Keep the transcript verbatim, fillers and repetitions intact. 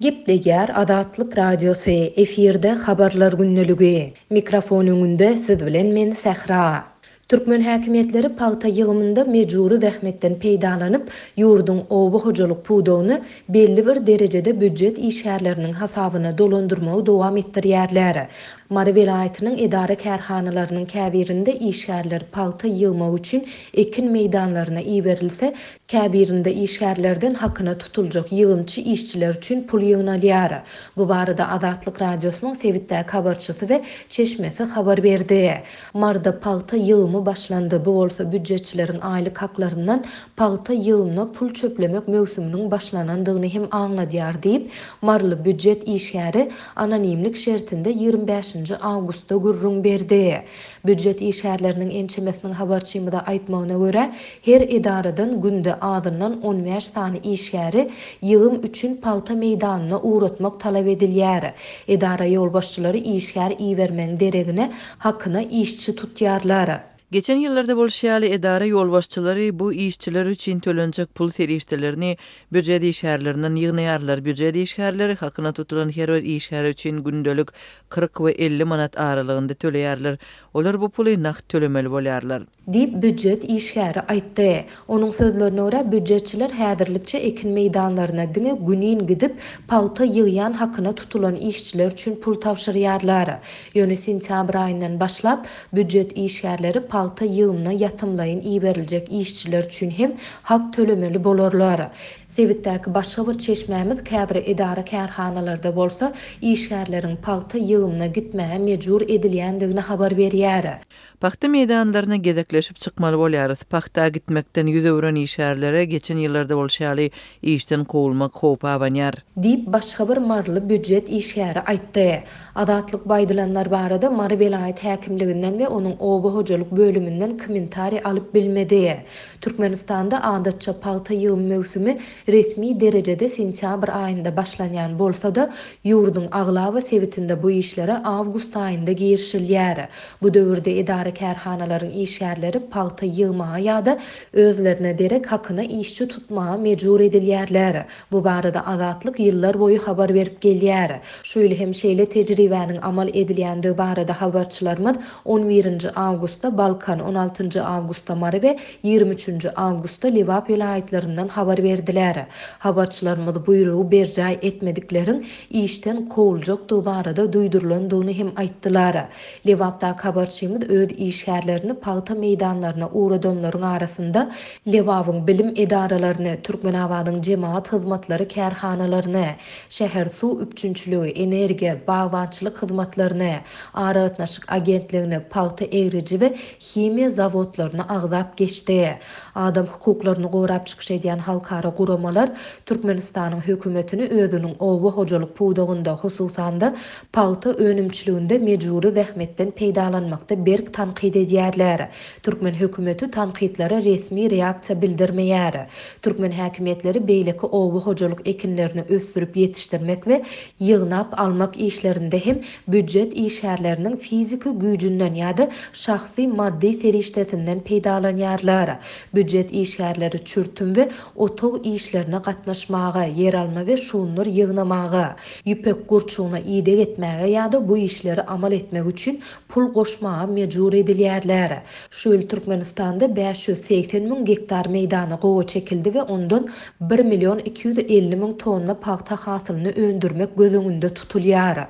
Gepleýär Azatlyk Radiosy, efirde Habarlar gündeligi. Mikrofon öňünde siz bilen men Sähra. Türkmen häkimiýetleri pagta ýygymynda mejbury zähmetden peýdalanyp, ýurduň oba hojalyk pudagyny belli bir derejede býujet işgärleriniň hasabyna dolandyrmagy dowam etdirýärler. Mary welaýatynyň edara-kärhanalarynyň käbirinde işgärler pagta ýygmak üçin ekin meýdanlaryna iberilse, käbirinde işgärlerden hakyna tutuljak ýygymçy işçiler üçin pul ýygnalýar. Bu barada Azatlyk Radiosynyň sebitdäki habarçysy we çeşmesi habar berdi. Maryda pagta ýygymy başlandy. Bu bolsa býujetçileriň aýlyk haklaryndan pagta ýygymyna pul çöplemek möwsüminiň başlanandygyny hem aňladýar diýip, maryly býujet işgäri anonimlik şertinde ýigrimi bäşinji awgustda gürrüň berdi. Býujet işgärleriniň ençemesiniň habarçymyza aýtmagyna görä, her edaradan günde azyndan on bäş sany işgäri ýygym üçin pagta meýdanyna ugratmak talap edilýär. Edara ýolbaşçylary işgär ibermegiň deregine hakyna işçi tutýarlar. Geçen ýyllarda bolşy ýaly edara ýolbaşçylary bu işçiler üçin tölenjek pul serişdelerini býujet işgärlerinden ýygnaýarlar. Býujet işgärleri hakyna tutulan her bir işgär üçin gündelik kyrk we elli manat aralygynda töleýärler. Olar bu puly nagt tölemeli bolýarlar. Diýip, býujet işgäri aýtdy. Onuň sözlerine görä, býujetçiler häzirlikçe ekin meýdanlaryna diňe günin gidip, pagta ýygýan hakyna tutulan işçiler üçin pul tabşyrýarlar. Ýöne sentýabr aýyndan başlap, býujet işgärleri pagta ýygymyna ýatymlaýyn iberiljek işçiler üçin hem hak tölemeli bolarlar. Sebitdäki başga bir çeşmämiz käbir edara-kärhanalarda bolsa işgärleriň pagta ýygymyna gitmäge mejbur edilýändigini habar berýär. Pagta meýdanlaryna gezekleşip çykmaly bolýarys. Pagta gitmekden ýüz öwren işgärlere geçen ýyllarda bolşy ýaly işden kowulmak howpy abanýar. Diýip, başga bir maryly býujet işgäri aýtdy. Azatlyk bu aýdylanlar barada Mary welaýat häkimliginden we onuň oba hojalyk bölüminden kommentariý alyp bilmedi. Türkmenistanda adatça pagta ýygym möwsümi resmi derejede sentýabr aýynda başlanýan bolsa-da, ýurduň aglaba sebitinde bu işlere awgust aýynda girişilýär. Bu döwürde edara-kärhanalaryň işgärleri pagta ýygmaga ýa-da özlerine derek hakyna işçi tutmaga mejbur edilýärler. Bu barada Azatlyk ýyllar boýy habar berip gelýär. Şu ýyl hem şeýle tejribäniň amal edilýändigi barada habarçylarymyz on birinji awgustda Balkan, on altynjy awgustda Mary we ýigrimi üçünji awgustda Lebap welaýatlaryndan habar berdiler. Habarçylarymyz buýrugy berjaý etmedikleriň işden kowuljakdygy barada duýdurylandygyny hem aýtdylar. Lebapdaky habarçymyz öz işgärlerini pagta meýdanlaryna ugradanlaryň arasynda Lebabyň bilim edaralaryny, Türkmenabadyň jemaat hyzmatlary kärhanalaryny, şäher suw üpjünçiligi, energiýa, bagbançylyk hyzmatlaryny, aragatnaşyk agentligini, pagta egriji we himiýa zawodlaryny agzap geçdi. Adam hukuklaryny gorap çykyş edýän halkara guramalar Türkmenistanyň hökümetini özüniň oba hojalyk pudagynda, hususan-da pagta önümçiliginde mejbury zähmetden peýdalanmakda berk tankyt edýärler. Türkmen hökümeti tankytlara resmi reaksiýa bildirmeýär. Türkmen häkimiýetleri beýleki oba hojalyk ekinlerini ösdürip ýetişdirmek we ýygnap almak işlerinde hem býujet işgärleriniň fiziki güýjünden ýa-da şahsy maddy serişdesinden peýdalanýarlar. Býujet işgärleri çürtüm we otag işlerine gatnaşmaga, ýer alma we şunlar ýygnamaga, ýüpek gurçugyna ideg etmäge ýa-da bu işleri amal etmek üçin pul goşmaga mejbur edilýärler. Şu ýyl Türkmenistanda bäş ýüz segsen müň gektar meýdana gowa çekildi we ondan bir million iki ýüz elli müň tonna pagta hasylyny öndürmek göz öňünde tutulýar.